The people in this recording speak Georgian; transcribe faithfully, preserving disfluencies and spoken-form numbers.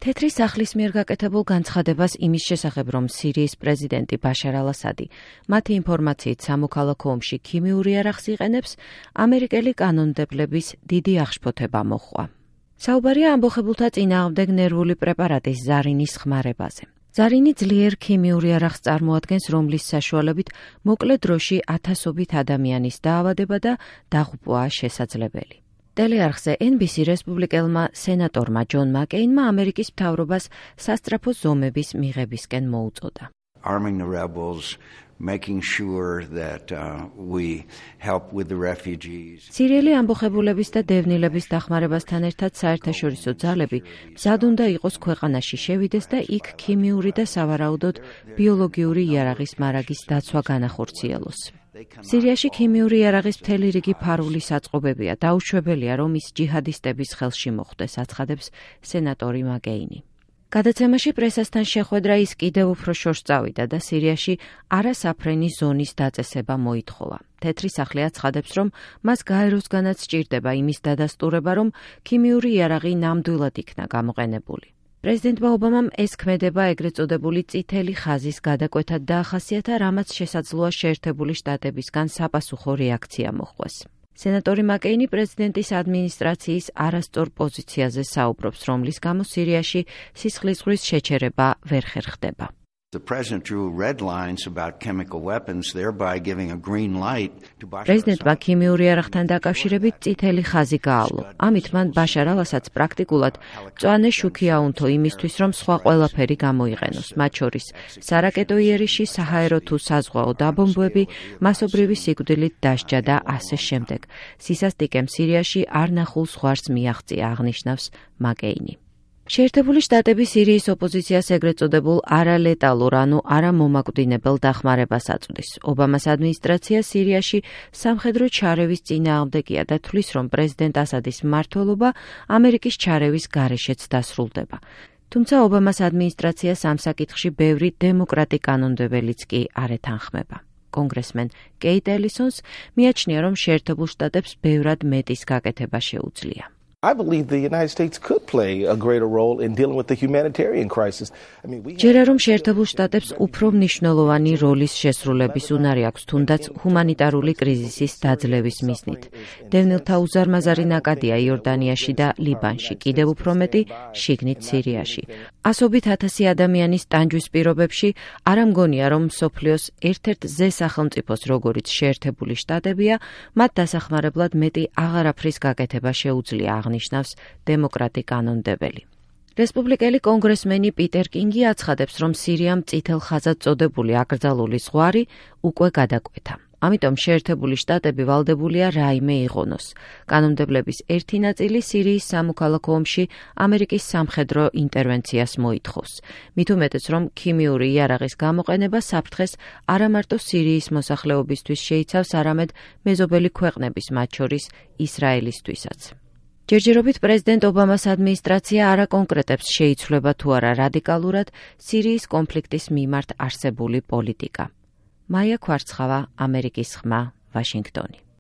თეთრი სახლის მიერ გაკეთებულ განცხადებას იმის შესახებ, რომ სირიის პრეზიდენტი ბაშარ ალ-ასადი მათი ინფორმაციით სამოქალაქო ომში ქიმიური იარაღს იყენებს, ამერიკელი კანონმდებლების დიდი აღშფოთება მოჰყვა. საუბარია ამბოხებულთა წინააღმდეგ ნერვული პრეპარატის ზარინის ხმარებაზე. ზარინი ძლიერ ქიმიურ იარაღს წარმოადგენს, რომლის საშუალებით მოკლე დროში ათასობით ადამიანის დაავადება და დაღუპვაა შესაძლებელი. ტელეარხზე ენ ბი სი რესპუბლიკელმა სენატორმა ჯონ მაკეინმა ამერიკის მთავრობას სასწრაფო ზომების მიღებისკენ მოუწოდა. Arming the rebels, making sure that uh, we help with the refugees. სირიელი ამბოხებულების და დევნილების დახმარებასთან ერთად საერთაშორისო ძალები მზად უნდა იყოს ქვეყანაში შევიდეს და იქ ქიმიური და სავარაუდოდ ბიოლოგიური იარაღის მარაგის დაცვა განახორციელოს. სირიაში ქიმიური იარაღის მთელი რიგი ფარული საწყობებია, დაუშვებელია, რომ ის ჯიჰადისტების ხელში მოხვდეს, აცხადებს სენატორი მაკეინი. გადაცემაში პრესასთან შეხვედრა ის კიდევ უფრო შორს წავიდა და სირიაში არასაფრენი ზონის დაწესება მოითხოვა. თეთრი სახლი აცხადებს, რომ მას გაეროსგანაც სჭირდება იმის დადასტურება, რომ ქიმიური იარაღი ნამდვილად იქნა გამოყენებული. პრეზიდენტმა ობამამ ეს ქმედება ეგრეთ წოდებული წითელი ხაზის გადაკვეთად დაახასიათა, რამაც შესაძლოა შეერთებული შტატებისგან საპასუხო რეაქცია მოჰყვეს. სენატორი მაკეინი პრეზიდენტის ადმინისტრაციის არასწორ პოზიციაზე საუბრობს, რომლის გამო სირიაში სისხლის ზღვის შეჩერება ვერ ხერხდება. The president drew red lines about chemical weapons, thereby giving a green light to Bashar პრეზიდენტმა ქიმიური იარაღთან დაკავშირებით წითელი ხაზი გაავლო. ამით მან ბაშარ ალ-ასადს პრაქტიკულად მწვანე შუქი აუნთო იმისთვის, რომ სხვა ყველაფერი გამოიყენოს, მათ შორის სარაკეტო იერიში, საჰაერო თუ საზღვაო დაბომბვები, მასობრივი სიკვდილით დასჯა და ასე შემდეგ. სისასტიკემ სირიაში არ ნახულ ზღვარს მიაღწია, აღნიშნავს მაკეინი. შეერთებული შტატები სირიის ოპოზიციას ეგრეთ წოდებულ არალეტალურ, ანუ არამომაკვდინებელ დახმარებას აწვდის. ობამას ადმინისტრაცია სირიაში სამხედრო ჩარევის წინააღმდეგია და თვლის, რომ პრეზიდენტ ასადის მმართველობა ამერიკის ჩარევის გარეშეც დასრულდება. თუმცა ობამას ადმინისტრაციას ამ საკითხში ბევრი დემოკრატი კანონმდებელიც კი არ ეთანხმება. კონგრესმენ კეიტ ელისონს მიაჩნია, რომ შეერთებულ შტატებს ბევრად მეტის გაკეთება შეუძლია. I believe the United States could play a greater role in dealing with the humanitarian crisis. I mean, we ჯერა რომ შეერთებულ შტატებს უფრო მნიშვნელოვანი როლის შესრულების უნარი აქვს, თუნდაც ჰუმანიტარული კრიზისის დაძლევის მიზნით. დევნილთა უზარმაზარი ნაკადია იორდანიაში და ლიბანში, კიდევ უფრო მეტი შიგნით სირიაში. ასობით ათასი ადამიანის ტანჯვის პირობებში არ ამგონია, რომ მსოფლიოს ერთ-ერთ ზე სახელმწიფოს, როგორიც შეერთებული შტატებია, მათ დასახმარებლად მეტი აღარაფრის გაკეთება შეუძლია, აღნიშნავს დემოკრატი კანონმდებელი. რესპუბლიკელი კონგრესმენი პიტერ კინგი აცხადებს, რომ სირიამ წითელ ხაზად წოდებული აკრძალული ზღვარი უკვე გადაკვეთა. ამიტომ შეერთებული შტატები ვალდებულია რაიმე იყონოს. კანონმდებლების ერთი ნაწილი სირიის სამოქალაქო ომში ამერიკის სამხედრო ინტერვენციას მოითხოვს. მით უმეტეს, რომ ქიმიური იარაღის გამოყენება საფრთხეს არა მარტო სირიის მოსახლეობისთვის შეიცავს, არამედ მეზობელი ქვეყნების, მათ შორის ისრაელისთვისაც. ჯერჯერობით პრეზიდენტ ობამას ადმინისტრაცია არ აკონკრეტებს, შეიცვლება თუ არა რადიკალურად სირიის კონფლიქტის მიმართ არსებული პოლიტიკა. მაია ქვარცხავა, ამერიკის ხმა, ვაშინგტონი.